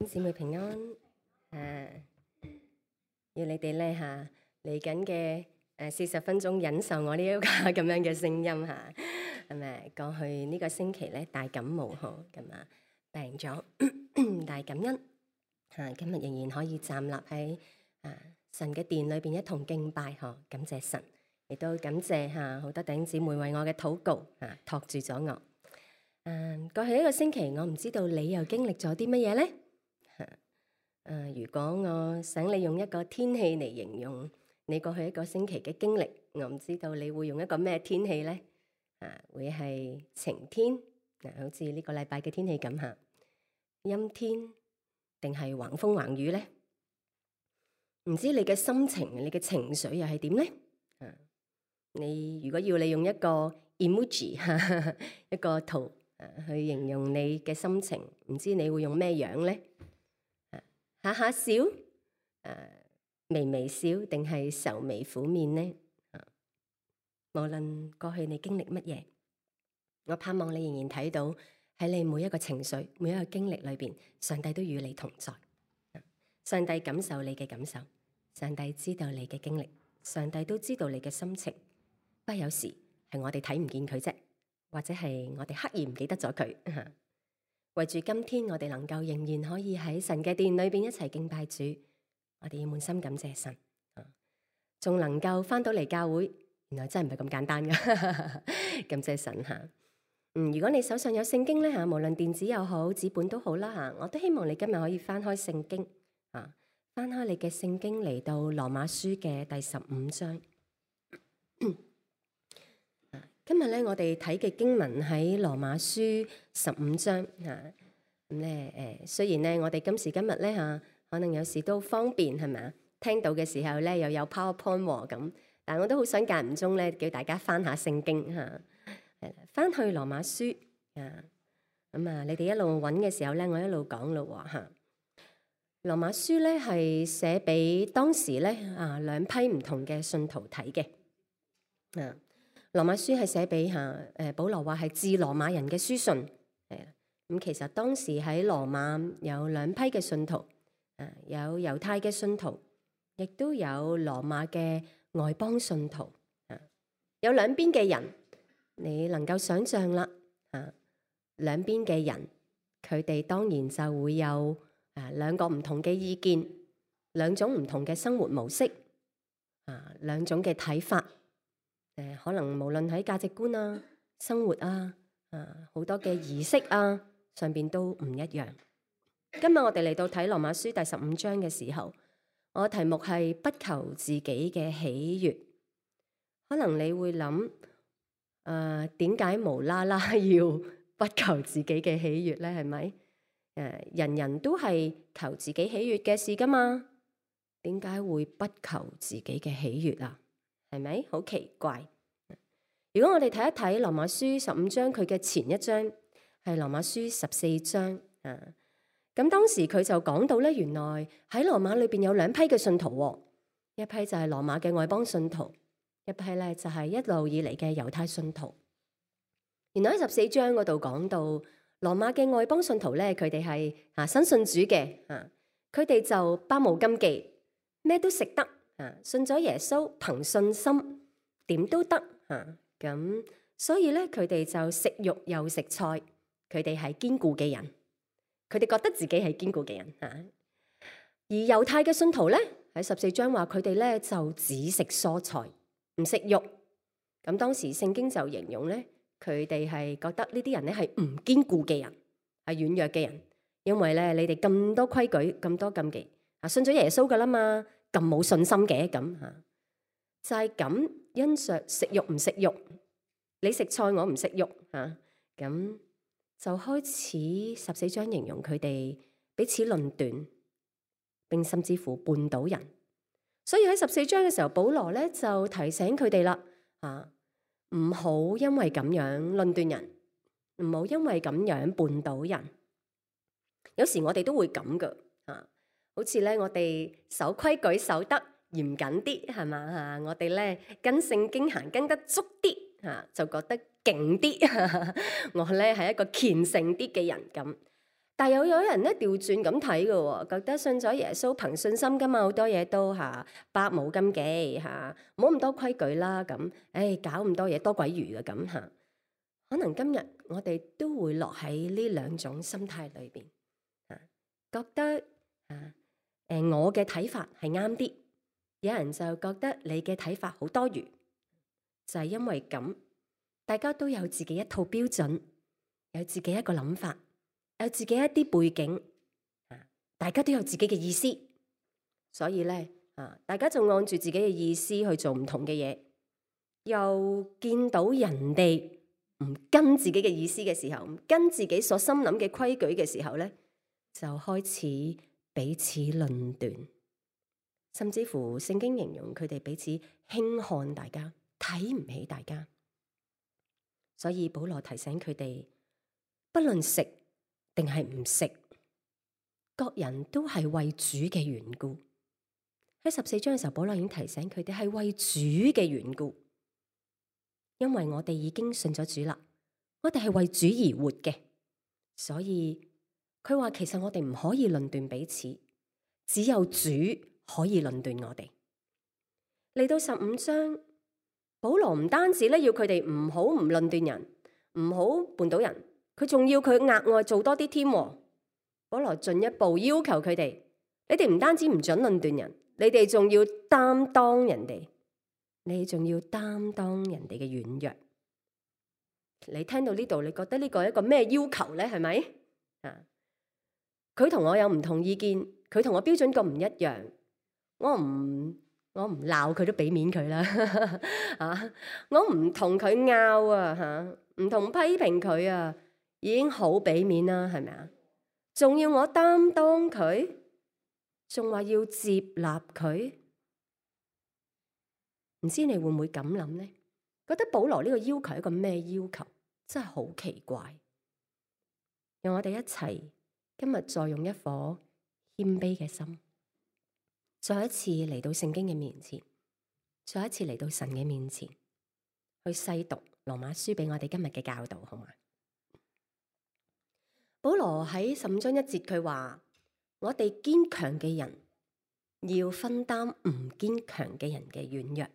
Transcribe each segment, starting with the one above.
姊妹平安要你哋咧嚟緊嘅40分鐘忍受我呢一個咁樣嘅聲音係咪？過去呢個星期咧大感冒咁啊，病咗，但係感恩今日仍然可以站立喺神嘅殿裏邊一同敬拜感謝神，亦都感謝好多弟兄姊妹為我嘅禱告托住咗我。過去呢個星期我唔知道你又經歷咗啲乜嘢咧？如果我想你用一個天氣嚟形容你過去一個星期嘅經歷，我唔知道你會用一個咩天氣呢？會係晴天好似呢個禮拜嘅天氣咁陰天，定係橫風橫雨呢？唔知你嘅心情、你嘅情緒又係點呢？你如果要你用一個 emoji 一個圖去形容你嘅心情，唔知你會用咩樣呢？下下笑，微微笑，定係愁眉苦面呢？無論過去你經歷乜嘢，我盼望你仍然睇到喺你每一個情緒、每一個經歷裏邊，上帝都與你同在。上帝感受你嘅感受，上帝知道你嘅經歷，上帝都知道你嘅心情。不過有時係我哋睇唔見佢啫，或者係我哋刻意唔記得咗佢。為住今天我哋能夠仍然可以喺神嘅殿裏邊一齊敬拜主，我哋要滿心感謝神。仲能夠翻到嚟教會，原來真係唔係咁簡單噶。感謝神如果你手上有聖經咧無論電子又好，紙本都好啦我都希望你今日可以翻開聖經翻開你嘅聖經嚟到羅馬書嘅第15章。今日咧，我哋睇嘅經文喺羅馬書15章咁咧雖然咧，我哋今時今日咧可能有時都方便係咪啊？聽到嘅時候咧，又有 PowerPoint 咁，但係我都好想間唔中咧，叫大家翻下聖經翻去羅馬書你哋一路揾嘅時候咧，我一路講咯羅馬書咧係寫俾當時咧兩批唔同嘅信徒睇嘅羅馬書係寫俾保羅話係致羅馬人嘅書信咁其實當時喺羅馬有兩批嘅信徒有猶太嘅信徒，亦都有羅馬嘅外邦信徒有兩邊嘅人，你能夠想象啦兩邊嘅人，佢哋當然就會有兩個唔同嘅意見，兩種唔同嘅生活模式兩種嘅睇法可能無論喺價值觀生活好多嘅儀式上邊都唔一樣。今日我哋嚟到睇羅馬書第15章嘅時候，我嘅題目係不求自己嘅喜悅。可能你會諗點解無啦啦要不求自己嘅喜悅咧？係咪人人都係求自己喜悅嘅事噶嘛？點解會不求自己嘅喜悅啊？係咪好奇怪？如果我哋睇一睇羅馬書15章，佢嘅前一章係羅馬書14章咁當時佢就講到咧，原來喺羅馬裏邊有兩批嘅信徒一批就係羅馬嘅外邦信徒，一批咧就係一路以嚟嘅猶太信徒。原來喺14章嗰度講到羅馬嘅外邦信徒咧，佢哋係新信主嘅佢哋就百無禁忌，咩都食得信咗耶穌，憑信心點都得咁，所以咧佢哋就食肉又食菜，佢哋係堅固嘅人，佢哋覺得自己係堅固嘅人而猶太嘅信徒咧喺14章話佢哋咧就只食蔬菜，唔食肉。咁當時聖經就形容咧，佢哋係覺得呢啲人咧係唔堅固嘅人，係軟弱嘅人，因為咧你哋咁多規矩，咁多禁忌信咗耶穌噶啦嘛，咁冇信心嘅咁就係咁，因着食肉唔食肉，你食菜我唔食肉咁就開始14章形容佢哋彼此論斷，並甚至乎絆倒人。所以喺14章嘅時候，保羅咧就提醒佢哋啦唔好因為咁樣論斷人，唔好因為咁樣絆倒人。有時我哋都會咁噶好似咧我哋守規矩守得嚴謹啲係嘛我哋咧跟聖經行跟得足啲就覺得勁啲我咧係一個虔誠啲嘅人咁。但有人咧調轉咁睇嘅喎，覺得信咗耶穌憑信心噶嘛，好多嘢都百無禁忌嚇，冇咁多規矩啦咁，搞咁多嘢多鬼餘嘅咁嚇。可能今日我哋都會落喺呢兩種心態裏邊嚇，覺得我嘅睇法係啱啲，有人就覺得你嘅睇法好多餘，就係因為咁，大家都有自己一套標準，有自己一個諗法，有自己一啲背景，大家都有自己嘅意思，所以咧大家就按住自己嘅意思去做唔同嘅嘢，又見到人哋唔跟自己嘅意思嘅時候，唔跟自己所心諗嘅規矩嘅時候咧，就開始彼此論斷，甚至乎聖經形容佢哋彼此輕看大家，睇唔起大家。所以保羅提醒佢哋，不論食定係唔食，各人都係為主嘅緣故。喺14章嘅時候，保羅已經提醒佢哋係為主嘅緣故，因為我哋已經信咗主啦，我哋係為主而活嘅，所以佢話其實我哋唔可以論斷彼此，只有主可以論斷我哋。嚟到15章，保羅唔單止咧要佢哋唔好唔論斷人，唔好絆倒人，佢仲要佢額外做多啲添。保羅進一步要求佢哋，你哋唔單止唔准論斷人，你哋仲要擔當人哋，你仲要擔當人哋嘅軟弱。你聽到呢度，你覺得呢個係一個咩要求咧？係咪？佢同我有唔同意見，佢同我標準咁唔一樣，我唔鬧佢都俾面佢啦。我唔同佢拗啊，唔同批評佢啊，已經好俾面啦，係咪啊？仲要我擔當佢，仲話要接納佢，唔知你會唔會咁諗呢？覺得保羅呢個要求係一個咩要求？真係好奇怪。讓我哋一齊今日再用一顆謙卑嘅心，再一次嚟到聖經嘅面前，再一次嚟到神嘅面前，去細讀羅馬書俾我哋今日嘅教導，好嗎？保羅喺15章1節佢話：我哋堅強嘅人要分擔唔堅強嘅人嘅軟弱，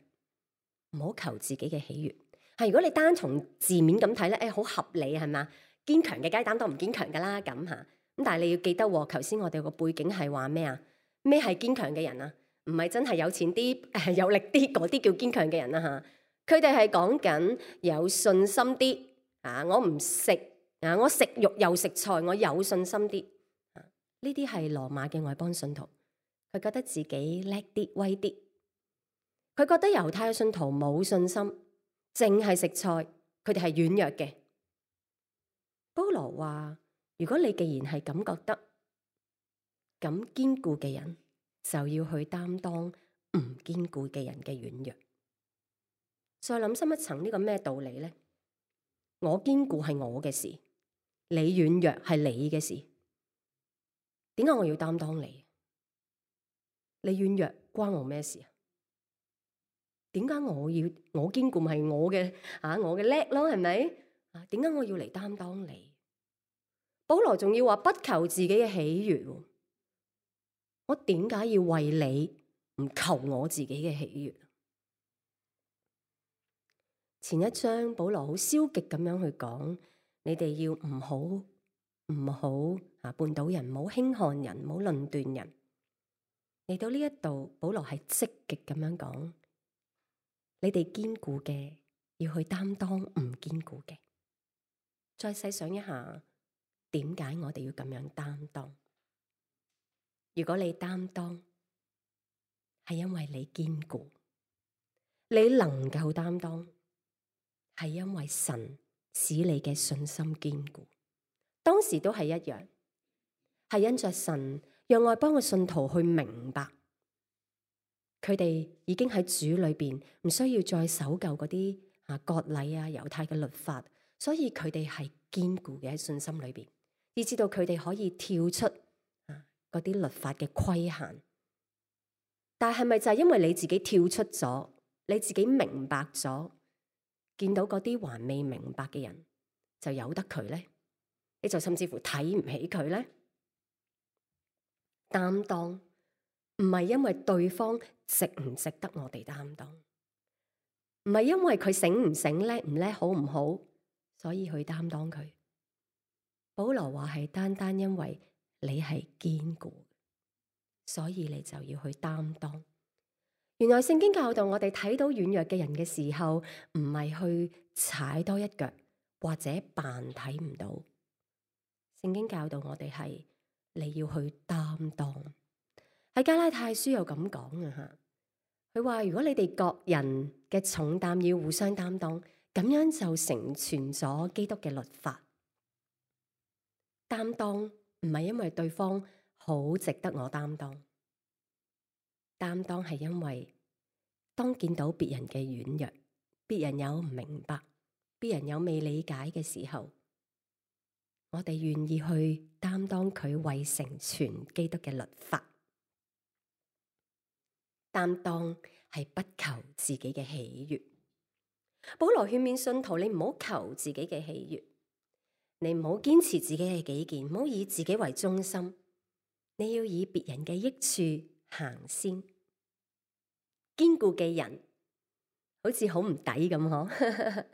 唔好求自己嘅喜悅。如果你單從字面咁睇咧，好合理係嘛？堅強嘅梗係擔當唔堅強噶啦，咁吓。咁但係你要記得，頭先我哋個背景係話咩啊？咩係堅強嘅人啊？唔係真係有錢啲、有力啲嗰啲叫堅強嘅人啦吓。佢哋係講緊有信心啲我唔食我食肉又食菜，我有信心啲呢啲係羅馬嘅外邦信徒，佢覺得自己叻啲、威啲，佢覺得猶太嘅信徒冇信心，淨係食菜，佢哋係軟弱嘅。保羅話：如果你既然係咁覺得，咁堅固嘅人就要去擔當唔堅固嘅人嘅軟弱。再諗深一層，呢個咩道理呢？我堅固係我嘅事，你軟弱係你嘅事。點解我要擔當你？你軟弱關我咩事啊？點解我堅固咪係我嘅我嘅叻咯，係咪？點解我要嚟擔當你？保羅仲要話不求自己嘅喜悅，我點解要為你唔求我自己嘅喜悅？前一章保羅好消極咁樣去講，你哋要唔好絆倒人，唔好輕看人，唔好論斷人。嚟到呢一度，保羅係積極咁樣講，你哋堅固嘅要去擔當唔堅固嘅。再細想一下，點解我哋要咁樣擔當？如果你擔當，係因為你堅固，你能夠擔當，係因為神使你嘅信心堅固。當時都係一樣，係因着神讓外邦嘅信徒去明白，佢哋已經喺主裏邊唔需要再守舊嗰啲割禮猶太嘅律法，所以佢哋係堅固嘅喺信心裏邊，以至到佢哋可以跳出嗰啲律法嘅規限。但係咪就係因為你自己跳出咗，你自己明白咗，見到嗰啲還未明白嘅人就由得佢呢？你就甚至乎睇唔起佢呢？擔當，唔係因為對方值唔值得我哋擔當，唔係因為佢醒唔醒、叻唔叻、好唔好，所以去擔當佢。保羅話係單單因為你係堅固，所以你就要去擔當。原來聖經教導我哋睇到軟弱嘅人嘅時候，唔係去踩多一腳或者扮睇唔到。聖經教導我哋係你要去擔當。喺加拉太書又咁講啊吓，佢話如果你哋各人嘅重擔要互相擔當，咁樣就成全咗基督嘅律法。擔當唔係因為對方好值得我擔當，擔當係因為當見到別人嘅軟弱，別人有唔明白，別人有未理解嘅時候，我哋願意去擔當佢為成全基督嘅律法。擔當係不求自己嘅喜悅。保羅勸勉信徒，你唔好求自己嘅喜悅。你唔好堅持自己嘅己見，唔好以自己為中心，你要以別人嘅益處行先。堅固嘅人好似好唔抵咁嗬，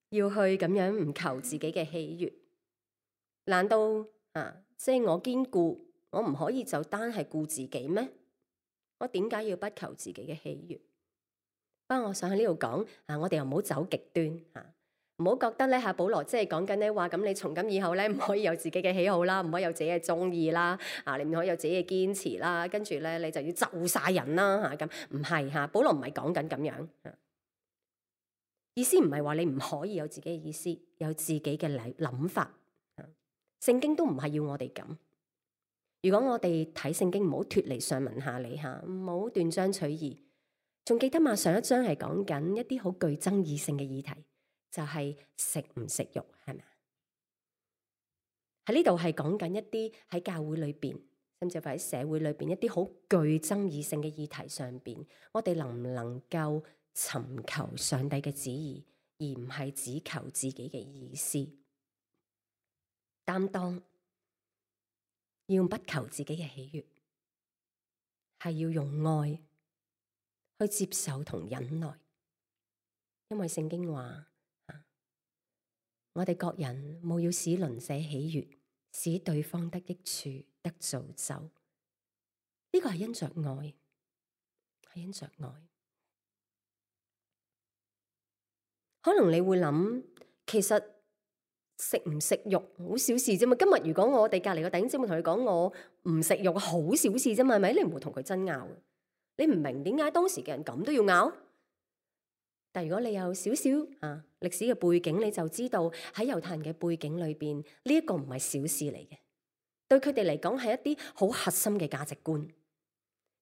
要去咁樣唔求自己嘅喜悅。難道即係我堅固，我唔可以就單係顧自己咩？我點解要不求自己嘅喜悅？不過我想喺呢度講我哋又唔好走極端唔好覺得咧保羅即係講緊咧話咁，你從今以後咧唔可以有自己嘅喜好啦，唔可以有自己嘅中意啦，你唔可以有自己嘅堅持啦，跟住咧你就要就晒人啦咁，唔係保羅唔係講緊咁樣意思，唔係話你唔可以有自己嘅意思，有自己嘅諗法。聖經都唔係要我哋咁。如果我哋睇聖經，唔好脫離上文下理唔好斷章取義。仲記得嘛？上一章係講緊一啲好具爭議性嘅議題。就係食唔食肉，係咪？喺呢度係講緊一啲喺教會裏邊，甚至乎喺社會裏邊一啲好具爭議性嘅議題上邊，我哋能唔能夠尋求上帝嘅旨意，而唔係只求自己嘅意思？擔當要不求自己嘅喜悅，係要用愛去接受同忍耐，因為聖經話。我哋各人務要使鄰舍喜悅，使對方得益處，得造就。呢個係因着愛，係因着愛。可能你會諗，其實食唔食肉好小事啫嘛。今日如果我哋隔籬個弟兄姊妹同你講我唔食肉，好小事啫嘛，係咪？你唔會同佢爭拗。你唔明點解當時嘅人咁都要拗？但如果你有少少歷史嘅背景，你就知道喺猶太人嘅背景裏邊，呢一個唔係小事嚟嘅。對佢哋嚟講係一啲好核心嘅價值觀。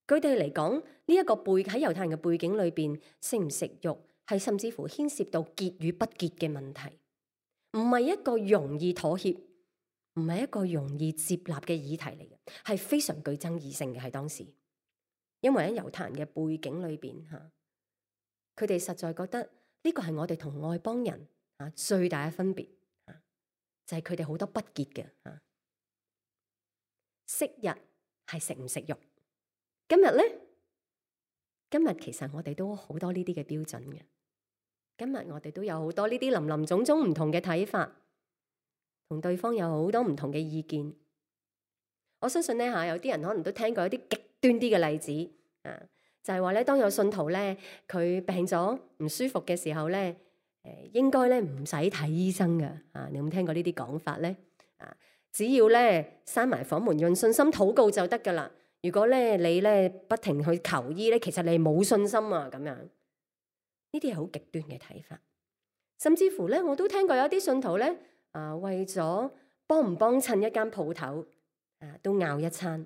佢哋嚟講呢一個喺猶太人嘅背景裏邊，食唔食肉係甚至乎牽涉到潔與不潔嘅問題，唔係一個容易妥協，唔係一個容易接納嘅議題嚟嘅，係非常具爭議性嘅。喺當時，因為喺猶太人嘅背景裏邊佢哋實在覺得呢個係我哋同外邦人最大嘅分別就係佢哋好多不潔嘅昔日係食唔食肉，今日咧，今日其實我哋都好多呢啲嘅標準嘅。今日我哋都有好多呢啲林林總總唔同嘅睇法，同對方有好多唔同嘅意見。我相信咧有啲人可能都聽過一啲極端啲嘅例子就係話咧，當有信徒咧，佢病咗唔舒服嘅時候咧，應該咧唔使睇醫生嘅你有冇聽過呢啲講法咧？只要咧閂埋房門，用信心禱告就得噶啦。如果咧你咧不停去求醫咧，其實你冇信心咁樣。呢啲係好極端嘅睇法。甚至乎咧，我都聽過有啲信徒咧為咗幫唔幫襯一間鋪頭都拗一餐，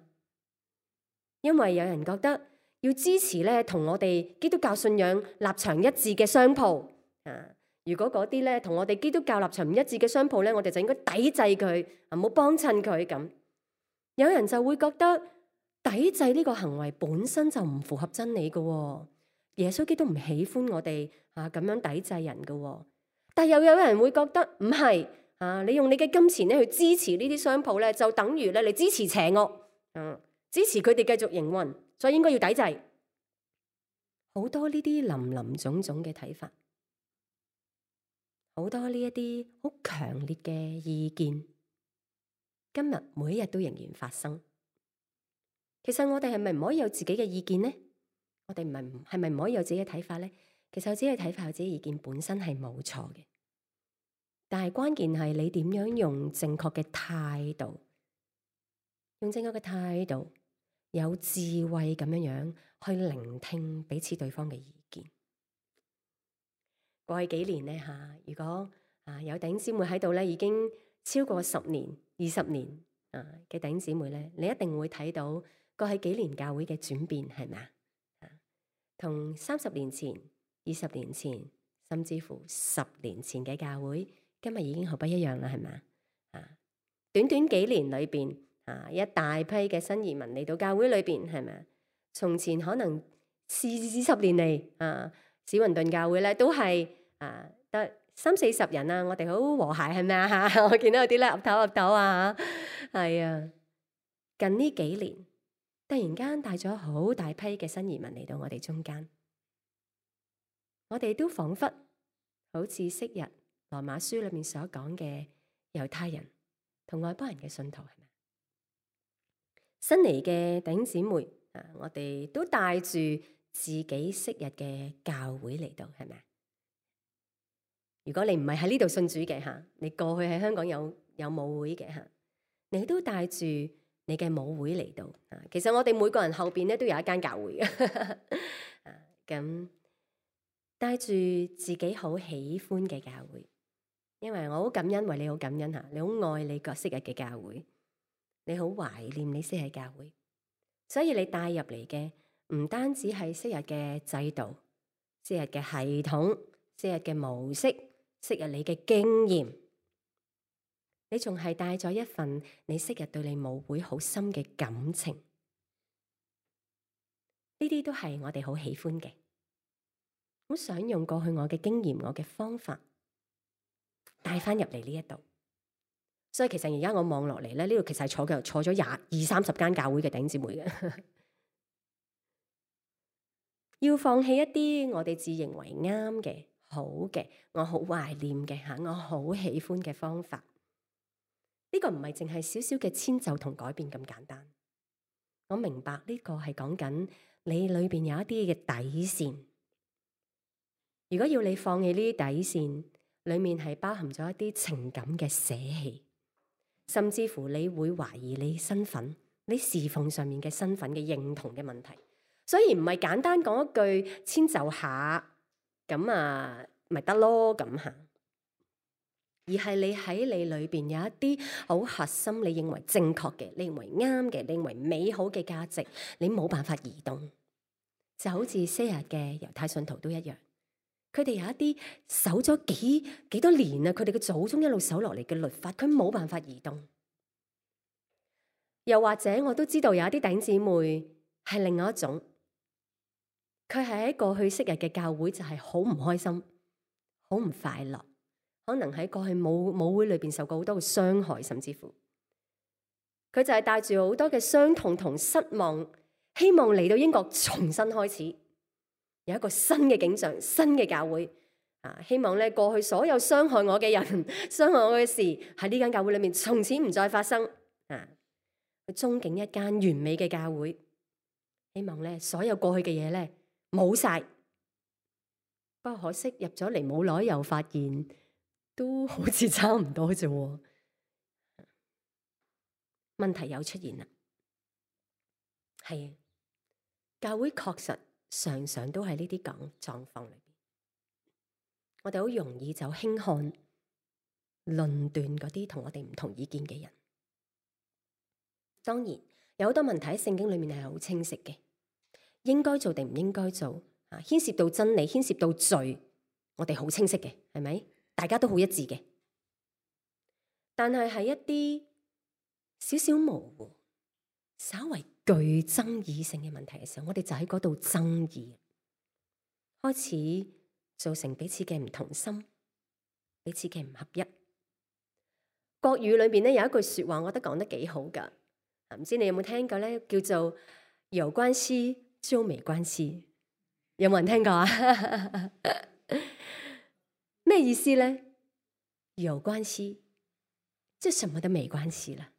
因為有人覺得。要支持咧，同我哋基督教信仰立場一致嘅商鋪如果嗰啲咧同我哋基督教立場唔一致嘅商鋪咧，我哋就應該抵制佢唔好幫襯佢咁。有人就會覺得抵制呢個行為本身就唔符合真理嘅，耶穌基督唔喜歡我哋咁樣抵制人嘅。但又有人會覺得唔係你用你嘅金錢咧去支持呢啲商鋪咧，就等於咧你支持邪惡支持佢哋繼續營運，所以應該要抵制。好多呢啲林林總總嘅睇法，好多呢一啲好強烈嘅意見，今日每一日都仍然發生。其實我哋係咪唔可以有自己嘅意見呢？我哋係咪唔可以有自己嘅睇法呢？其實有自己嘅睇法、有自己意見本身係冇錯嘅，但係關鍵係你點樣用正確嘅態度，用正確嘅態度，有智慧咁樣去聆聽彼此對方嘅意見。過去幾年呢，如果有弟兄姊妹喺度咧，已經超過10年、20年嘅弟兄姊妹咧，你一定會睇到過去幾年教會嘅轉變，係咪啊？同30年前、20年前，甚至乎10年前嘅教會，今日已經好不一樣啦，係咪啊？短短幾年裏邊一大批嘅新移民嚟到教會裏邊，係咪啊？從前可能40年嚟史雲頓教會咧都係得30-40人啊，我哋好和諧，係咪啊？我見到有啲咧岌頭岌頭啊，係啊！近呢幾年突然間帶咗好大批嘅新移民嚟到我哋中間，我哋都彷彿好似昔日羅馬書裏面所講嘅猶太人同外邦人嘅信徒，係咪？新嚟嘅弟兄姊妹我哋都帶住自己昔日嘅教會嚟到，係咪？如果你唔係喺呢度信主嘅你過去喺香港有母會嘅你都帶住你嘅母會嚟到其實我哋每個人後邊咧都有一間教會嘅咁帶住自己好喜歡嘅教會，因為我好感恩，為你好感恩你好愛你個昔日嘅教會，你好懷念你昔日教會，所以你帶入嚟嘅唔單止係昔日嘅制度、昔日嘅系統、昔日嘅模式、昔日你嘅經驗，你仲係帶咗一份你昔日對你母會好深嘅感情，呢啲都係我哋好喜歡嘅。好想用過去我嘅經驗、我嘅方法帶翻入嚟呢一度。所以其實而家我望落嚟咧，呢度其實係坐咗20-30間教會嘅弟兄姊妹嘅。要放棄一啲我哋自認為啱嘅、好嘅、我好懷念嘅我好喜歡嘅方法。呢個唔係淨係少少嘅遷就同改變咁簡單。我明白呢個係講緊你裏邊有一啲嘅底線。如果要你放棄呢啲底線，裏面係包含咗一啲情感嘅捨棄，甚至乎你會懷疑你身份、你侍奉上面嘅身份嘅認同嘅問題。所以唔係簡單講一句遷就下，咁咪得咯咁而係你喺你裏邊有一啲好核心，你認為正確嘅，你認為啱嘅，你認為美好嘅價值，你冇辦法移動，就好似昔日嘅猶太信徒都一樣。佢哋有一啲守咗幾多年佢哋嘅祖宗一路守落嚟嘅律法，佢冇辦法移動。又或者我都知道有一啲弟兄姊妹係另外一種，佢係喺過去昔日嘅教會就係好唔開心，好唔快樂，可能喺過去母會裏邊受過好多嘅傷害，甚至乎佢就係帶住好多嘅傷痛同失望，希望嚟到英國重新開始。有一個新嘅景象，新嘅教會希望咧過去所有傷害我嘅人、傷害我嘅事喺呢間教會裏面從此唔再發生去憧憬一間完美嘅教會，希望咧所有過去嘅嘢咧冇晒。不過可惜入咗嚟冇耐，又發現都好似差唔多啫。問題又出現啦，係教會確實常常都喺呢啲狀況裏邊，我哋好容易就輕看、論斷嗰啲同我哋唔同意見嘅人。當然有好多問題喺聖經裏面係好清晰嘅，應該做定唔應該做牽涉到真理、牽涉到罪，我哋好清晰嘅，係咪？大家都好一致嘅。但係喺一啲少少模糊、稍為具爭議性嘅問題嘅時候，我哋就喺嗰度爭議，開始造成彼此嘅唔同心，彼此嘅唔合一。國語裏邊咧有一句說話，我覺得講得幾好噶。唔知你有冇聽過咧？叫做有關係就沒關係，有冇人聽過啊？咩意思咧？有關係，即係什麼都沒關係啦。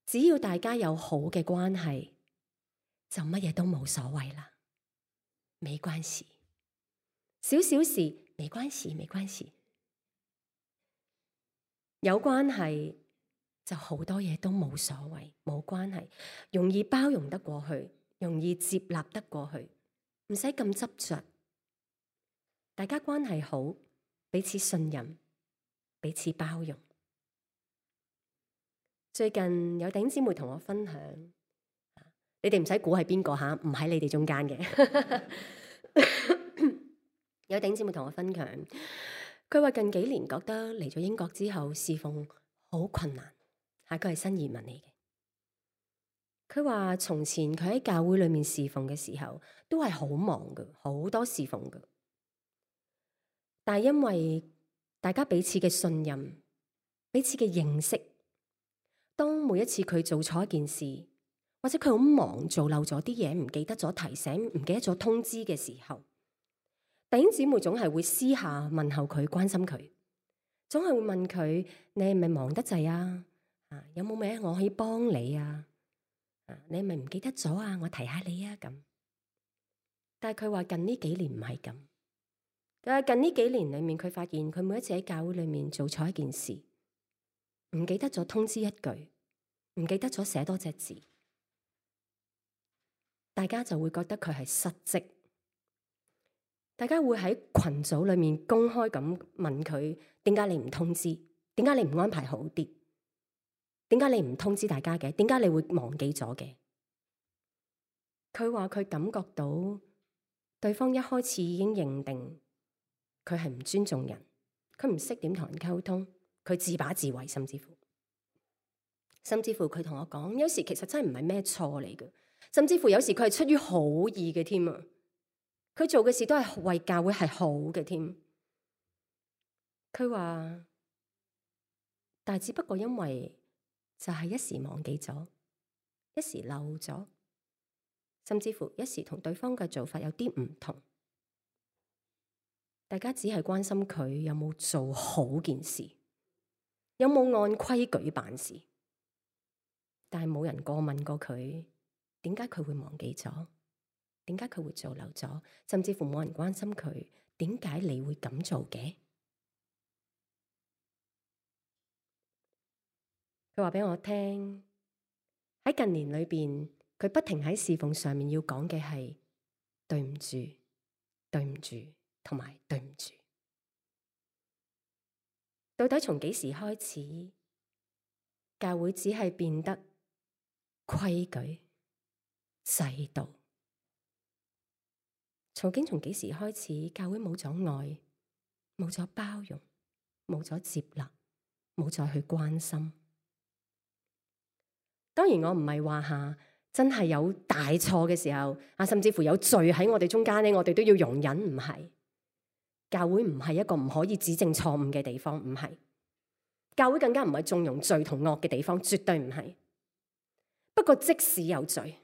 只要大家有好嘅關係，就乜嘢都冇所謂啦。沒關係，小小事沒關係，沒關係。有關係就好多嘢都冇所謂，冇關係，容易包容得過去，容易接納得過去，唔使咁執着。大家關係好，彼此信任，彼此包容。最近有弟兄姊妹同我分享，你哋唔使估係邊個吓，唔喺你哋中間嘅。有弟兄姊妹同我分享，佢話近幾年覺得嚟咗英國之後侍奉好困難，佢係新移民嚟嘅。佢話從前佢喺教會裏面侍奉嘅時候都係好忙嘅，好多侍奉嘅。但係因為大家彼此嘅信任，彼此嘅認識，當每一次佢做錯一件事，或者佢好忙做漏咗啲嘢，唔記得咗提醒，唔記得咗通知嘅時候，弟兄姊妹總係會私下問候佢，關心佢，總係會問佢：你係咪忙得滯啊？有冇咩我可以幫你啊？你係咪唔記得咗啊？我提下你啊咁。但係佢話近呢幾年唔係咁。但係近呢幾年裏面，佢發現佢每一次喺教會裏面做錯一件事，唔記得咗通知一句，唔記得咗寫多隻字，大家就會覺得佢係失職。大家會喺群組裏面公開咁問佢：點解你唔通知？點解你唔安排好啲？點解你唔通知大家嘅？點解你會忘記咗嘅？佢話佢感覺到對方一開始已經認定佢係唔尊重人，佢唔識點同人溝通，佢自把自為，甚至乎佢同我講，有時其實真係唔係咩錯嚟嘅，甚至乎有時佢係出於好意嘅添啊！佢做嘅事都係為教會係好嘅添。佢話，但係只不過因為就係一時忘記咗，一時漏咗，甚至乎一時同對方嘅做法有啲唔同。大家只係關心佢有冇做好件事，有冇按規矩辦事，但係冇人過問過佢點解佢會忘記咗，點解佢會做漏咗，甚至乎冇人關心佢點解你會咁做嘅。佢話俾我聽，喺近年裏邊，佢不停喺侍奉上面要講嘅係對唔住、對唔住同埋對唔住。到底從幾時開始，教會只係變得規矩、制度？從幾時開始，教會冇咗愛，冇咗包容，冇咗接納，冇再去關心？當然，我唔係話真係有大錯嘅時候甚至乎有罪喺我哋中間咧，我哋都要容忍。唔係，教會唔係一個唔可以指正錯誤嘅地方，唔係。教會更加唔係縱容罪同惡嘅地方，絕對唔係。不過即使有罪，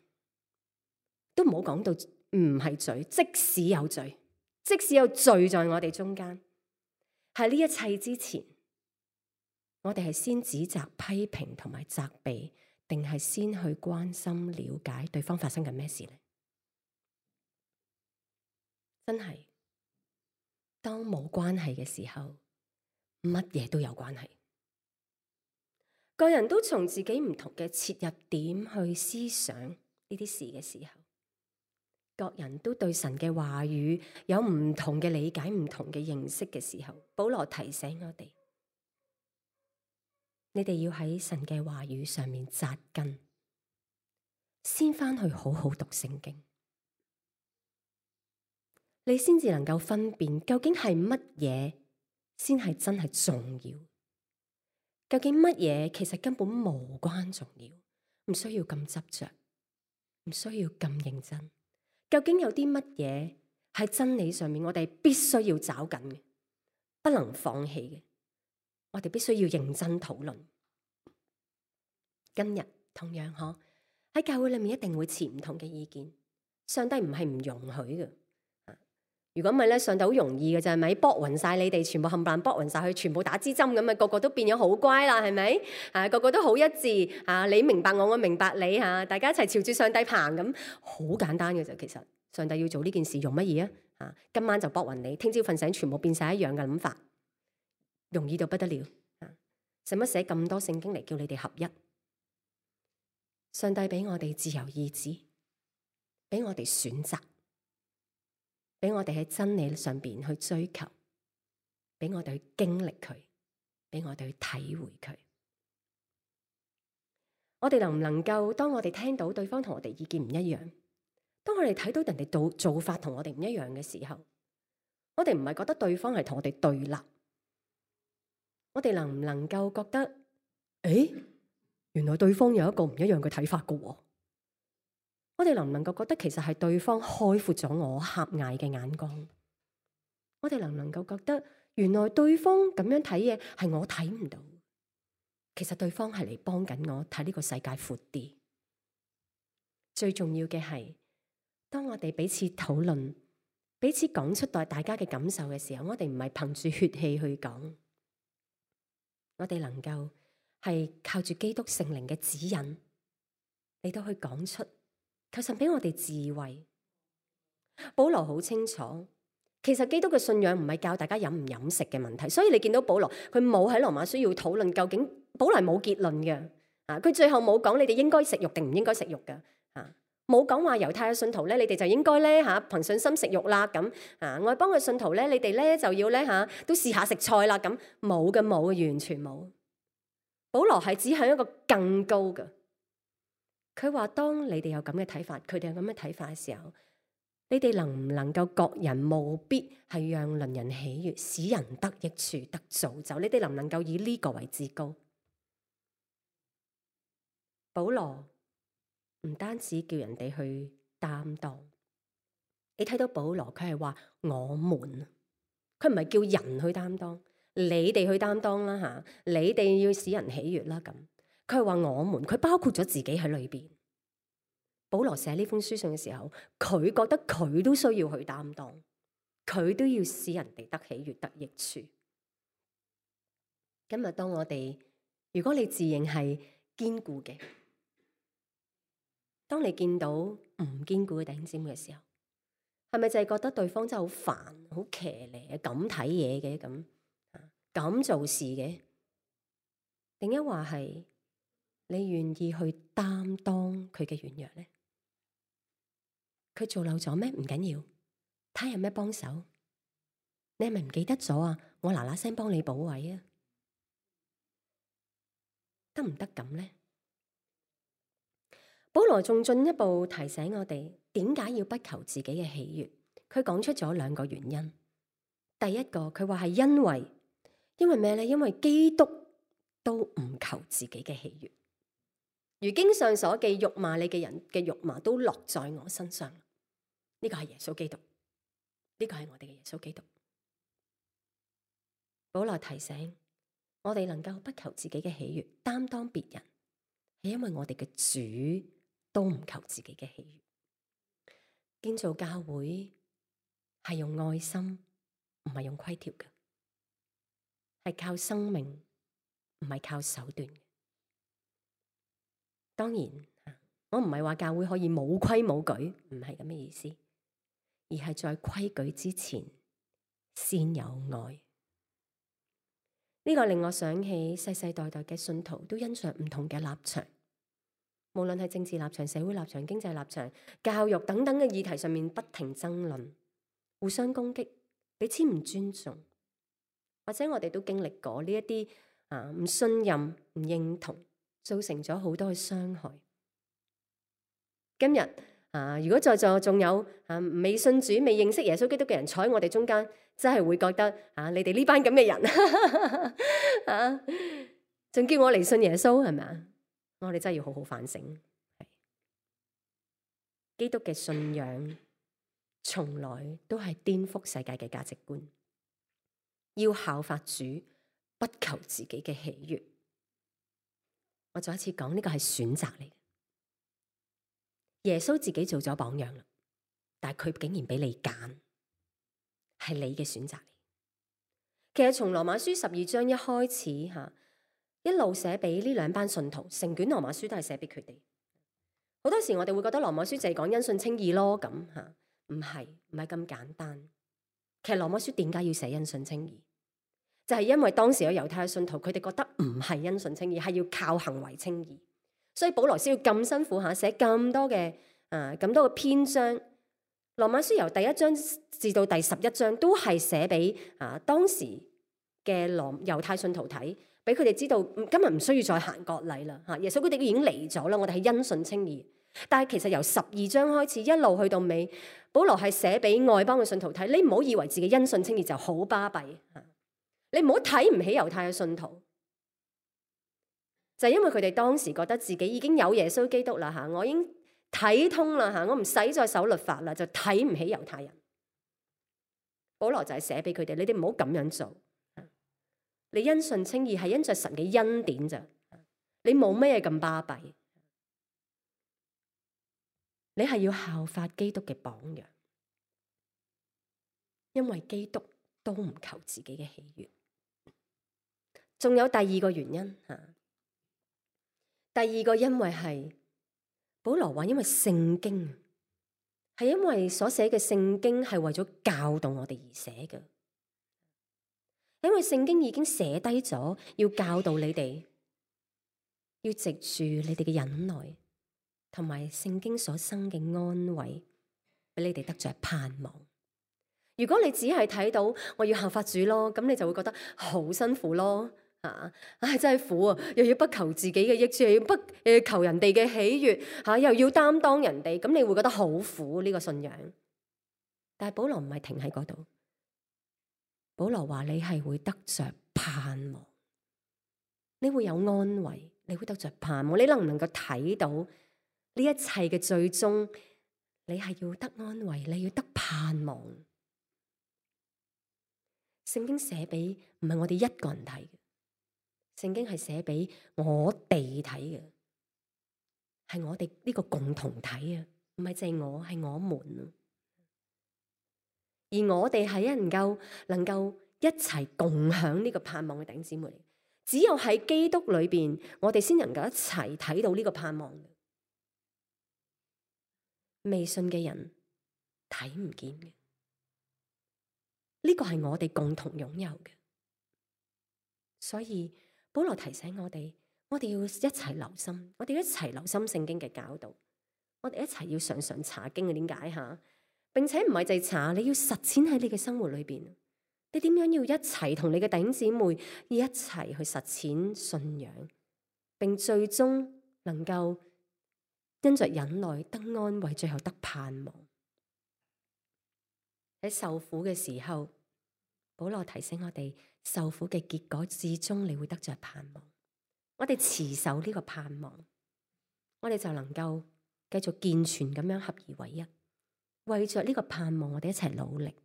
都唔好講到唔係罪。即使有罪，即使有罪在我哋中間，喺呢一切之前，我哋係先指責、批評同埋責備，定係先去關心、了解對方發生緊咩事呢？真係，當冇關係嘅時候，乜嘢都有關係。個人都從自己唔同嘅切入點去思想呢啲事嘅時候，各人都對神嘅話語有唔同嘅理解、唔同嘅認識嘅時候，保羅提醒我哋：你哋要喺神嘅話語上面紮根，先返去好好讀聖經，你先至能夠分辨究竟係乜嘢先係真係重要。究竟乜嘢其實根本無關重要，唔需要咁執着，唔需要咁認真。究竟有啲乜嘢喺真理上面我哋必須要找緊嘅，不能放棄嘅，我哋必須要認真討論。今日同樣喺教會裏面一定會持唔同嘅意見。上帝唔係唔容許嘅。如果唔係咧，上帝好容易嘅就係咪搏暈晒你哋，全部冚唪唥搏暈晒佢，全部打支針咁啊，個個都變咗好乖啦，係咪？個個都好一致啊！你明白我，我明白你嚇，大家一齊朝住上帝行咁，好簡單嘅啫。其實上帝要做呢件事用乜嘢啊？今晚就搏暈你，聽朝瞓醒全部變晒一樣嘅諗法，容易到不得了啊！使乜寫咁多聖經嚟叫你哋合一？上帝俾我哋自由意志，俾我哋選擇。俾我哋喺真理上邊去追求，俾我哋去經歷佢，俾我哋去體會佢。我哋能唔能夠當我哋聽到對方同我哋意見唔一樣，當我哋睇到人哋做法同我哋唔一樣嘅時候，我哋唔係覺得對方係同我哋對立，我哋能唔能夠覺得，誒，原來對方有一個唔一樣嘅睇法㗎喎？我哋能唔能夠覺得其實係對方開闊咗我狹隘嘅眼光？我哋能唔能夠覺得原來對方咁樣睇嘢係我睇唔到？其實對方係嚟幫緊我睇呢個世界闊啲。最重要嘅係，當我哋彼此討論、彼此講出大家嘅感受嘅時候，我哋唔係憑住血氣去講，我哋能夠係靠住基督聖靈嘅指引嚟到去講出。求神俾我哋智慧。保羅好清楚，其實基督嘅信仰唔係教大家飲唔飲食嘅問題，所以你見到保羅佢冇喺羅馬書要討論究竟，保羅係冇結論嘅。佢最後冇講你哋應該食肉定唔應該食肉嘅。冇講話猶太嘅信徒咧，你哋就應該咧憑信心食肉啦。咁外邦嘅信徒咧，你哋咧就要咧都試下食菜啦。咁冇嘅，冇嘅，完全冇。保羅係指向一個更高嘅。佢話：當你哋有咁嘅睇法，佢哋有咁嘅睇法嘅時候，你哋能唔能夠各人務必係讓鄰人喜悅，使人得益處、得造就？你哋能唔能夠以呢個為至高？保羅唔單止叫人哋去擔當，你睇到保羅佢係話我們，佢唔係叫人去擔當，你哋去擔當啦嚇，你哋要使人喜悅啦咁。佢係話我們，佢包括咗自己喺裏邊。保羅寫呢封書信嘅時候，佢覺得佢都需要去擔當，佢都要使人哋得喜悅、得益處。今日當我哋，如果你自認係堅固嘅，當你見到唔堅固嘅弟兄姊妹嘅時候，係咪就係覺得對方真係好煩、好騎呢、咁睇嘢嘅咁做事嘅？定一話係你願意去擔當佢嘅軟弱咧？佢做漏咗咩？唔緊要，睇下有咩幫手。你係咪唔記得咗啊？我嗱嗱聲幫你補位啊，得唔得咁咧？保羅仲進一步提醒我哋，點解要不求自己嘅喜悅？佢講出咗兩個原因。第一個，佢話係因為咩咧？因為基督都唔求自己嘅喜悅，如經上所記，辱罵你嘅人嘅辱罵都落在我身上。呢個係耶穌基督，呢個係我哋嘅耶穌基督。保羅提醒我哋能夠不求自己嘅喜悅，擔當別人，係因為我哋嘅主都唔求自己嘅喜悅。建造教會係用愛心，唔係用規條嘅，係靠生命，唔係靠手段。當然，我唔係話教會可以冇規冇矩，唔係咁嘅意思，而係在規矩之前先有愛。呢個令我想起世世代代嘅信徒都因着唔同嘅立場，無論係政治立場、社會立場、經濟立場、教育等等嘅議題上面不停爭論，互相攻擊，彼此唔尊重，或者我哋都經歷過呢一啲唔信任、唔認同，造成咗好多嘅傷害。今日如果在座仲有未信主、未認識耶穌基督嘅人坐喺我哋中間，真係會覺得你哋呢班咁嘅人仲叫我嚟信耶穌係咪啊？我哋真係要好好反省。基督嘅信仰從來都係顛覆世界嘅價值觀，要效法主，不求自己嘅喜悅。我再一次講，呢個係選擇嚟嘅。耶穌自己做咗榜樣啦，但係佢竟然俾你揀，係你嘅選擇嚟。其實從羅馬書12章一開始吓，一路寫俾呢兩班信徒，成卷羅馬書都係寫俾佢哋。好多時我哋會覺得羅馬書就係講因信稱義咯，咁吓，唔係咁簡單。其實羅馬書點解要寫因信稱義？就係因為當時有猶太嘅信徒，佢哋覺得唔係因信稱義，係要靠行為稱義，所以保羅先要咁辛苦吓，寫咁多嘅篇章。羅馬書由第1章至到第11章都係寫俾當時嘅猶太信徒睇，俾佢哋知道今日唔需要再行割禮啦吓，耶穌佢哋已經嚟咗啦，我哋係因信稱義。但係其實由12章開始一路去到尾，保羅係寫俾外邦嘅信徒睇，你唔好以為自己因信稱義就好巴閉，你唔好睇唔起猶太嘅信徒，就係因為佢哋當時覺得自己已經有耶穌基督啦吓，我已經睇通啦吓，我唔使再守律法啦，就睇唔起猶太人。保羅就係寫俾佢哋，你哋唔好咁樣做。你因信稱義係因着神嘅恩典咋，你冇咩咁巴閉。你係要效法基督嘅榜樣，因為基督都唔求自己嘅喜悅。仲有第二個原因吓，第二個因為係保羅話，因為聖經係因為所寫嘅聖經係為咗教導我哋而寫嘅，因為聖經已經寫低咗要教導你哋，要藉住你哋嘅忍耐同埋聖經所生嘅安慰，俾你哋得着盼望。如果你只係睇到我要效法主咯，咁你就會覺得好辛苦咯。真係苦啊！又要不求自己嘅益處，又要不求人哋嘅喜悅，又要擔當人哋，咁你會覺得好苦呢個信仰。但係保羅唔係停喺嗰度，保羅話你係會得着盼望，你會有安慰，你會得着盼望。你能唔能夠睇到呢一切嘅最終？你係要得安慰，你要得盼望。聖經寫俾唔係我哋一個人睇嘅。聖經係寫俾我哋睇嘅，係我哋呢個共同體啊，唔係淨係我，係我們啊。而我哋係能夠一齊共享呢個盼望嘅弟兄姊妹，只有喺基督裏邊，我哋先能夠一齊睇到呢個盼望。未信嘅人睇唔見嘅，呢個係我哋共同擁有嘅，所以。保羅提醒我哋要一齊留心，我哋一齊留心聖經嘅教導，我哋一齊要常常查經嘅。點解吓？並且唔係淨係查，你要實踐喺你嘅生活裏邊。你點樣要一齊同你嘅弟兄姊妹一齊去實踐信仰，並最終能夠因着忍耐得安慰，最後得盼望。喺受苦嘅時候，保羅提醒我哋。受苦嘅結果，至終你會得着盼望。我哋持守呢個盼望，我哋就能夠繼續健全咁樣合而為一，為着呢個盼望，我哋一齊努力。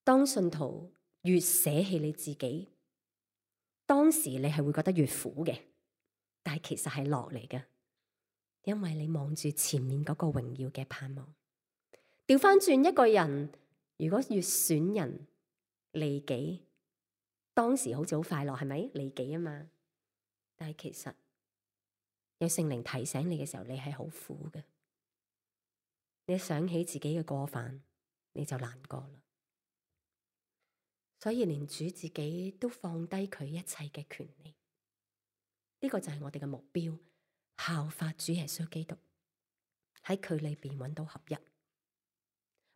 當信徒越捨棄你自己，當時你係會覺得越苦嘅，但係其實係樂嚟嘅，因為你望住前面嗰個榮耀嘅盼望。調翻轉，一個人如果越選人利己，當時好似好快樂，係咪利己啊嘛？但係其實有聖靈提醒你嘅時候，你係好苦嘅。你想起自己嘅過犯，你就難過啦。所以連主自己都放低佢一切嘅權利，呢個就係我哋嘅目標，效法主耶穌基督，喺佢裏邊揾到合一。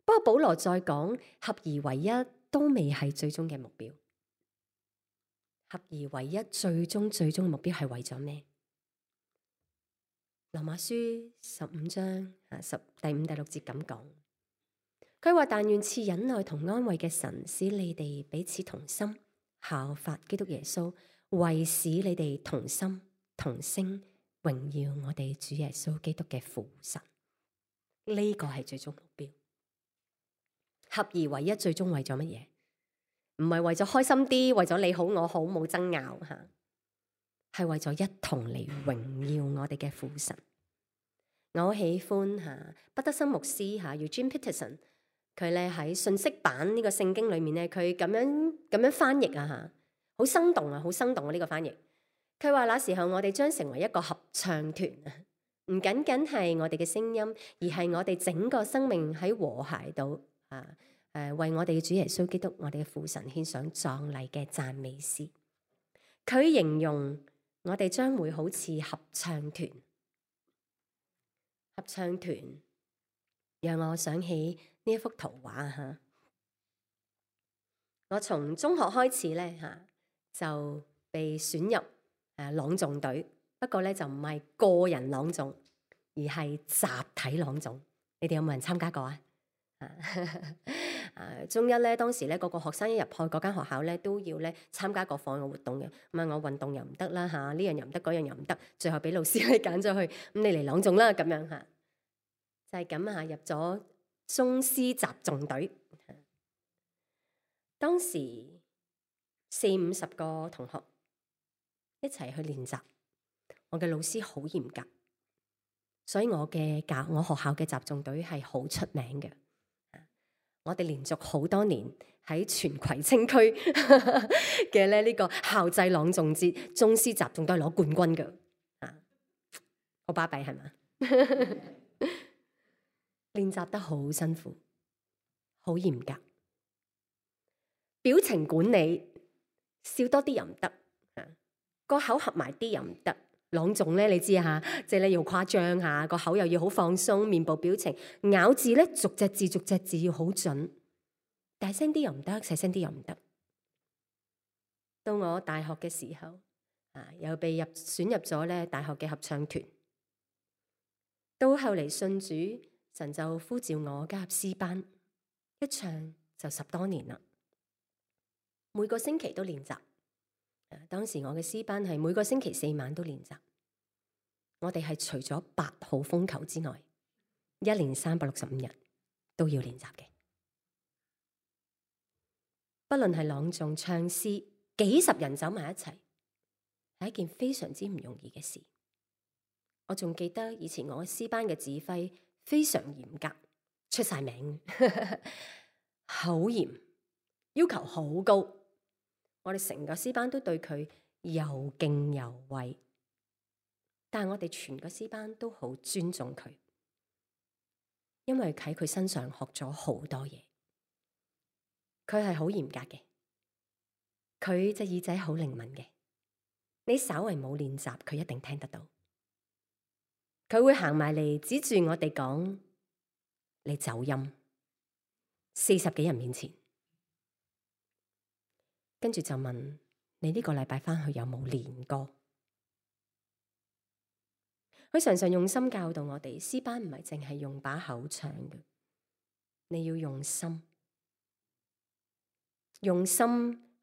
不過保羅再講，合而為一都未係最終嘅目標。合而為一最終嘅目標係為咗咩？羅馬書15章第5、第6節咁講，佢話：但願賜忍耐同安慰嘅神，使你哋彼此同心，效法基督耶穌，為使你哋同心同聲榮耀我哋主耶穌基督嘅父神。呢個係最終目標。合而為一最終為咗乜嘢？唔係為咗開心啲，為咗你好我好冇爭拗吓。係為咗一同嚟榮耀我哋嘅父神。我好喜歡畢德森牧師Eugene Peterson，佢咧喺信息版呢個聖經裏面咧，佢咁樣翻譯好生動啊，好生動啊！呢個翻譯，佢話那時候我哋將成為一個合唱團啊，唔僅僅係我哋嘅聲音，而係我哋整個生命喺和諧度為我哋嘅主耶穌基督，我哋嘅父神獻上壯麗嘅讚美詩。佢形容我哋將會好似合唱團，合唱團讓我想起呢一幅圖畫。我從中學開始咧就被選入朗誦隊，不過咧就唔係個人朗誦，而係集體朗誦。你哋有冇人參加過啊？中一咧，當時咧個學生一入去嗰間學校咧，都要咧參加各項嘅活動嘅。咁我運動又唔得啦呢樣又唔得，嗰樣又唔得，最後俾老師咧揀咗去，咁你嚟朗誦啦咁樣就係咁入咗中詩集誦隊。當時40-50個同學一齊去練習，我嘅老師好嚴格，所以我學校嘅集誦隊係好出名嘅。我哋連續好多年喺全葵青區嘅呢個校際朗誦節中詩集誦都係攞冠軍嘅，好巴閉係嘛？練習得好辛苦，好嚴格，表情管理笑多啲又唔得，個口合埋啲又唔得。朗誦咧，你知即係咧要誇張個口又要好放鬆，面部表情咬字咧逐隻字要好準，大聲啲又唔得，細聲啲又唔得。到我大學嘅時候又被選入咗咧大學嘅合唱團。到後嚟信主，神就呼召我加入詩班，一唱就10多年啦。每個星期都練習。當時我嘅詩班係每個星期4晚都練習。我哋係除咗8號風球之外，1年365日都要練習嘅。不論係朗誦、唱詩，幾十人走埋一齊，係一件非常之唔容易嘅事。我仲記得以前我詩班嘅指揮非常嚴格，出晒名，好嚴，要求好高。我哋成個詩班都對佢又敬又畏，但係我哋全個詩班都好尊重佢，因為喺佢身上學咗好多嘢。佢係好嚴格嘅，佢隻耳仔好靈敏嘅，你稍為冇練習，佢一定聽得到。佢會行埋嚟指住我哋講：你走音，40幾人面前。跟住就問你呢個禮拜返去有冇練歌？佢常常用心教導我哋，詩班唔係淨係用把口唱嘅，你要用心。用心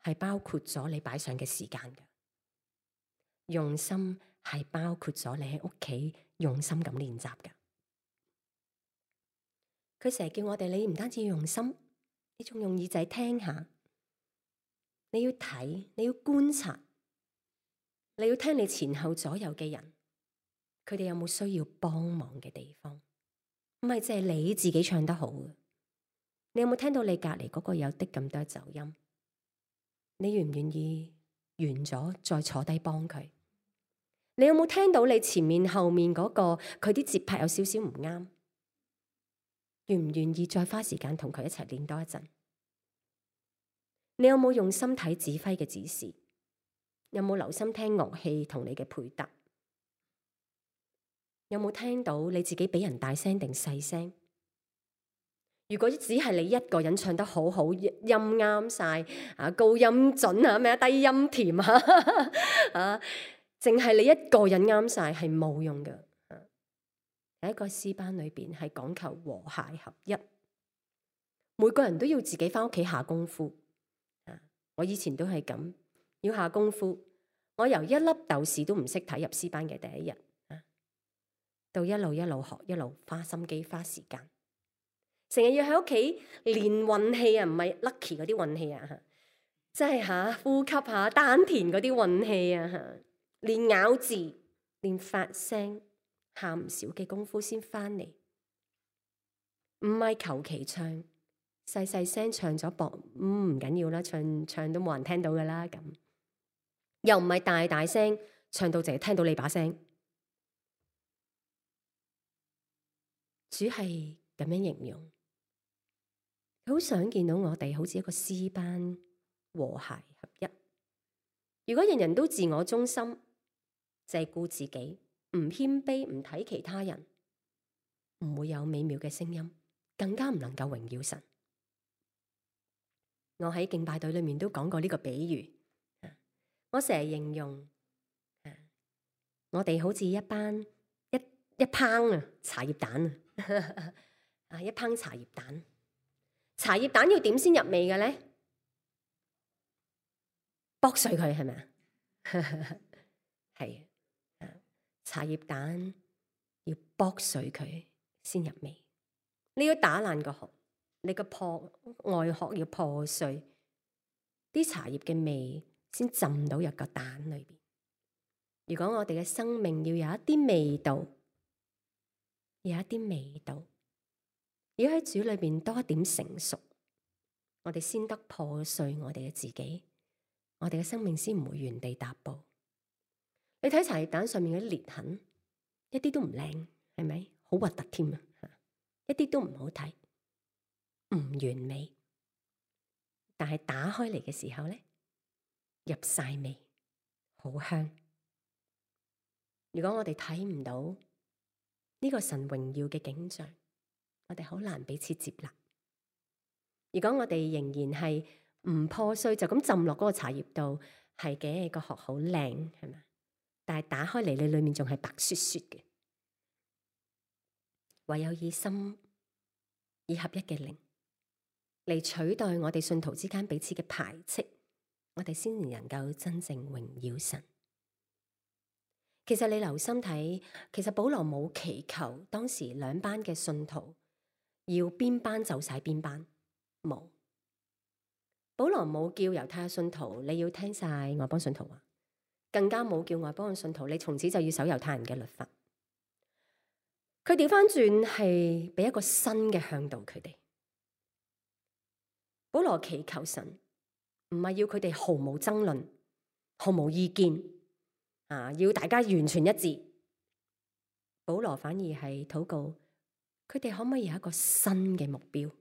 係包括咗你擺上嘅時間嘅，用心係包括咗你喺屋企用心咁練習嘅。佢成日叫我哋，你唔單止要用心，你仲用耳仔聽下。你要睇，你要觀察，你要聽你前後左右嘅人，佢哋有冇需要幫忙嘅地方？唔係淨係你自己唱得好嘅，你有冇聽到你隔籬嗰個有啲咁多走音？你願唔願意完咗再坐低幫佢？你有冇聽到你前面後面嗰個佢啲節拍有少少唔啱？願唔願意再花時間同佢一齊練多一陣？你有冇用心睇指揮嘅指示？有冇留心聽樂器同你嘅配搭？有冇聽到你自己比人大聲定細聲？如果只係你一個人唱得好好，音啱晒高音準低音甜淨係你一個人啱晒係冇用嘅。喺一個詩班裏邊係講求和諧合一，每個人都要自己返屋企下功夫。我以前都係咁，要下功夫。我由一粒豆豉都唔識睇入詩班嘅第一日，到一路學，一路花心機花時間，成日要喺屋企練運氣唔係 lucky 嗰啲運氣即係呼吸丹田嗰啲運氣連咬字、連發聲，喊唔少嘅功夫先翻嚟。唔係求其唱，細細聲唱咗唔緊要啦，唱都冇人聽到噶啦咁。又唔係大大聲唱到淨係聽到你把聲。主係咁樣形容，好想見到我哋好似一個詩班和諧合一。如果人人都自我中心，淨係顧自己，唔謙卑，唔睇其他人，唔會有美妙嘅聲音，更加唔能夠榮耀神。我喺敬拜隊裏面都講過呢個比喻，我成日形容我哋好似一班一烹茶葉蛋啊，一烹茶葉蛋。茶葉蛋要點先入味嘅咧？剝碎佢係咪啊？係茶葉蛋要剝碎佢先入味。你要打爛個殼，你個外殼要破碎，啲茶葉嘅味先浸到入個蛋裏邊。如果我哋嘅生命要有一啲味道，有一啲味道，要喺主裏邊多一點成熟，我哋先得破碎我哋嘅自己，我哋嘅生命先唔會原地踏步。你睇茶葉蛋上面嘅裂痕，一啲都唔靚，係咪？好核突添啊！一啲都唔好睇，唔完美。但係打開嚟嘅時候咧，入晒味，好香。如果我哋睇唔到呢個神榮耀嘅景象，我哋好難彼此接納。如果我哋仍然係唔破碎，就咁浸落嗰個茶葉度，係嘅，個殼好靚，係咪？但係打開嚟，你裏面仲係白雪雪嘅。唯有以心以合一嘅靈嚟取代我哋信徒之間彼此嘅排斥，我哋先能夠真正榮耀神。其實你留心睇，其實保羅冇祈求當時兩班嘅信徒要邊班就晒邊班，冇。保羅冇叫猶太信徒你要聽晒外邦信徒話，更加冇叫外邦嘅信徒你從此就要守猶太人嘅律法。佢調翻轉係俾一個新嘅向導佢哋。保羅祈求神唔係要佢哋毫無爭論、毫無意見啊，要大家完全一致。保羅反而係禱告佢哋可唔可以有一個新嘅目標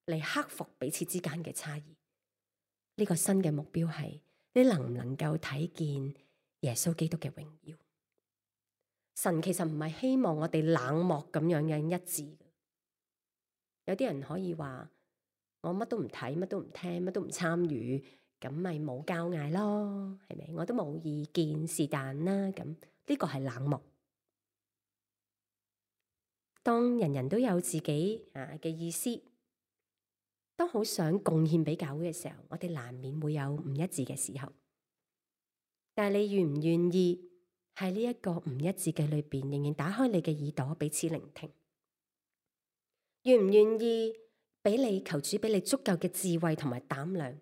嚟克服彼此之間嘅差異。呢個新嘅目標係你能唔能夠睇見耶穌基督嘅榮耀？神其實唔係希望我哋冷漠咁樣嘅一致。有啲人可以話我乜都唔睇，乜都唔聽，乜都唔參與，咁咪冇交嗌咯，係咪？我都冇意見，是但啦。咁呢個係冷漠。當人人都有自己嘅意思，當好想貢獻俾教會嘅時候，我哋難免會有唔一致嘅時候。但係你願唔願意喺呢一個唔一致嘅裏邊，仍然打開你嘅耳朵彼此聆聽？願唔願意俾你求主俾你足夠嘅智慧同埋膽量，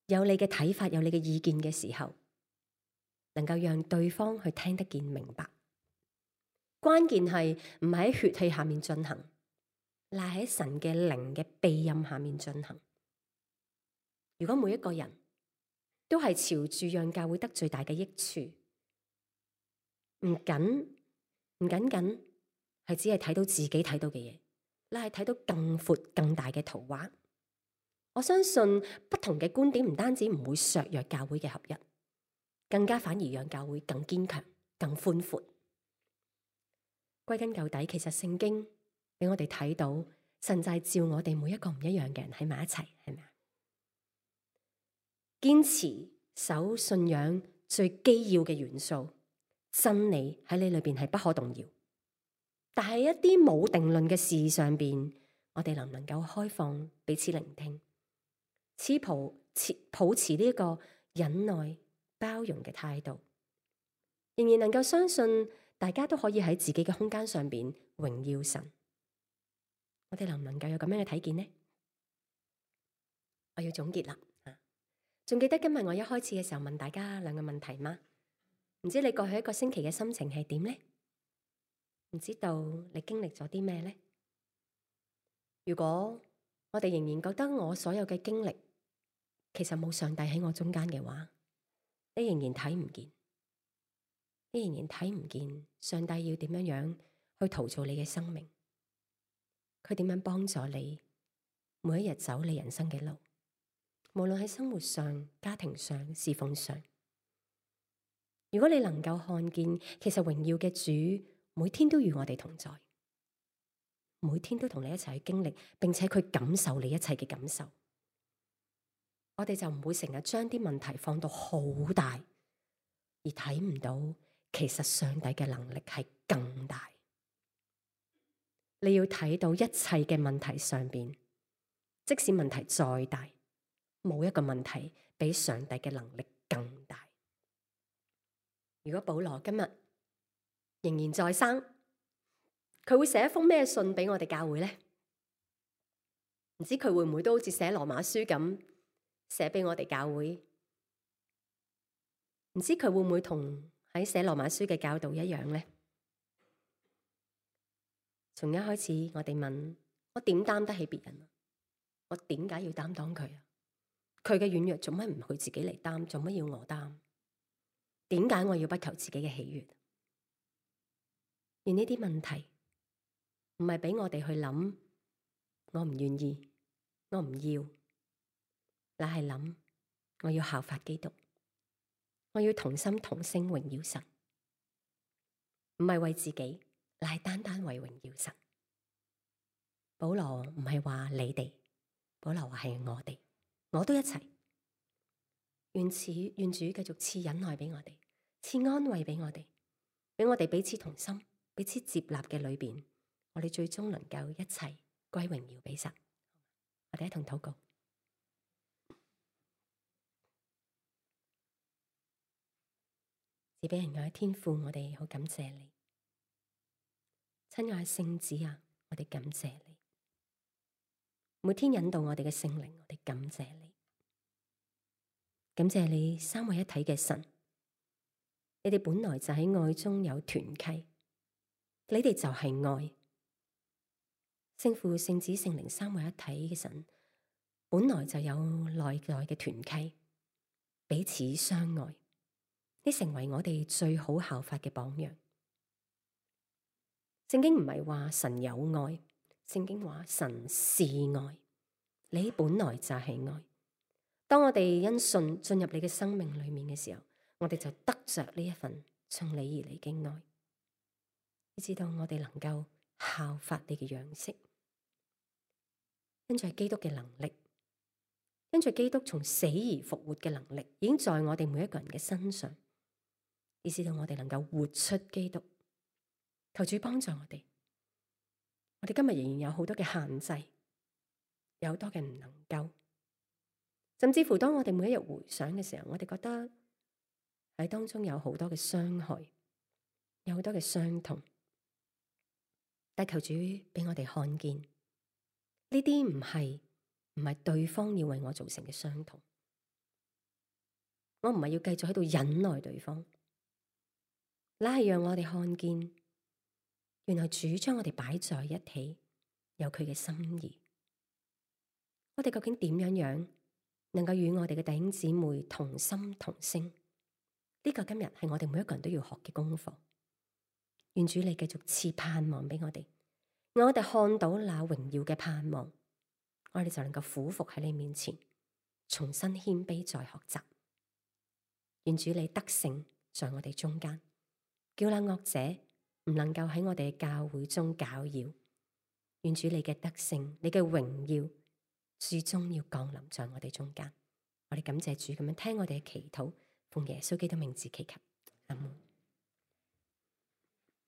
有你嘅睇法，有你嘅意見嘅時候，能夠讓對方去聽得見明白。關鍵係唔係喺血氣下面進行，乃喺神嘅靈嘅庇蔭下面進行。如果每一個人都係朝住讓教會得最大嘅益處，唔僅係只係睇到自己睇到嘅嘢，乃係睇到更闊更大嘅圖畫。我相信不同嘅觀點唔單止唔會削弱教會嘅合一，更加反而讓教會更堅強、更寬闊。歸根究底，其實聖經俾我哋睇到，神就係召我哋每一個唔一樣嘅人喺埋一齊，係咪啊？堅持守信仰最基要嘅元素，真理喺你裏邊係不可動搖。但係一啲冇定論嘅事上邊，我哋能唔能夠開放彼此聆聽，保持呢個忍耐包容嘅態度，仍然能夠相信大家都可以喺自己嘅空間上邊榮耀神。我哋能唔能夠有咁樣嘅睇見呢？我要總結啦。仲記得今日我一開始嘅時候問大家兩個問題嗎？唔知你過去一個星期嘅心情係點呢？唔知道你經歷咗啲咩呢？如果我哋仍然覺得我所有嘅經歷其實冇上帝喺我中間嘅話，你仍然睇唔見，你仍然睇唔見上帝要點樣去陶造你嘅生命，佢點樣幫助你每一日走你人生嘅路，無論喺生活上、家庭上、侍奉上。如果你能夠看見，其實榮耀嘅主每天都與我哋同在，每天都同你一齊去經歷，並且佢感受你一切嘅感受，我哋就唔會成日將啲問題放到好大，而睇唔到其實上帝嘅能力係更大。你要睇到一切嘅問題上邊，即使問題再大，冇一個問題比上帝嘅能力更大。如果保羅今日仍然在生，佢會寫一封咩信俾我哋教會呢？唔知佢會唔會都好似寫羅馬書咁寫俾我哋教會？唔知佢會唔會同喺寫羅馬書嘅教導一樣呢？從一開始我哋問，我點擔得起別人啊？我點解要擔當佢啊？佢嘅軟弱做乜唔佢自己嚟擔？做乜要我擔？點解我要不求自己嘅喜悅？而呢啲問題唔係俾我哋去諗，我唔願意，我唔要，乃係諗我要效法基督，我要同心同聲榮耀神，唔係為自己，乃係單單為榮耀神。保羅唔係話你哋，保羅話係我哋，我都一齊。願主繼續賜忍耐俾我哋，賜安慰俾我哋，俾我哋彼此同心，彼此接納嘅裏邊，我哋最終能夠一齊歸榮耀俾神。我哋一同禱告。賜俾人愛嘅天父，我哋好感謝你，親愛聖子啊，我哋感謝你，每天引導我哋嘅聖靈，我哋感謝你。感謝你三位一體嘅神，你哋本來就喺愛中有團契，你哋就係愛。聖父、聖子、聖靈三位一體嘅神，本來就有內在嘅團契，彼此相愛，你成為我哋最好效法嘅榜樣。聖經唔係話神有愛，聖經話神是愛，你本來就係愛。當我哋因信進入你嘅生命裏面嘅時候，我哋就得着呢一份從你而嚟嘅愛，以至到我哋能夠效法你嘅樣式，跟住基督嘅能力，跟住基督從死而復活嘅能力，已經在我哋每一個人嘅身上，以至到我哋能夠活出基督。求主幫助我哋。我哋今日仍然有好多嘅限制，有好多嘅唔能夠。甚至乎當我哋每一日回想嘅時候，我哋覺得喺當中有好多嘅傷害，有好多嘅傷痛。但求主俾我哋看見，呢啲唔係對方要為我造成嘅傷痛。我唔係要繼續喺度忍耐對方，乃係讓我哋看見，原來主將我哋擺在一起，有佢嘅心意。我哋究竟點樣能夠與我哋嘅弟兄姊妹同心同聲？呢個今日係我哋每一個人都要學嘅功課。願主你繼續賜盼望俾我哋，我哋看到那榮耀嘅盼望，我哋就能夠俯伏喺你面前，重新謙卑再學習。願主你得勝在我哋中間，叫那惡者唔能夠喺我哋嘅教會中攪擾。願主你嘅得勝，你嘅榮耀，最終要降臨在我哋中間。我哋感謝主咁樣聽我哋嘅祈禱，奉耶穌基督名字祈求，阿門。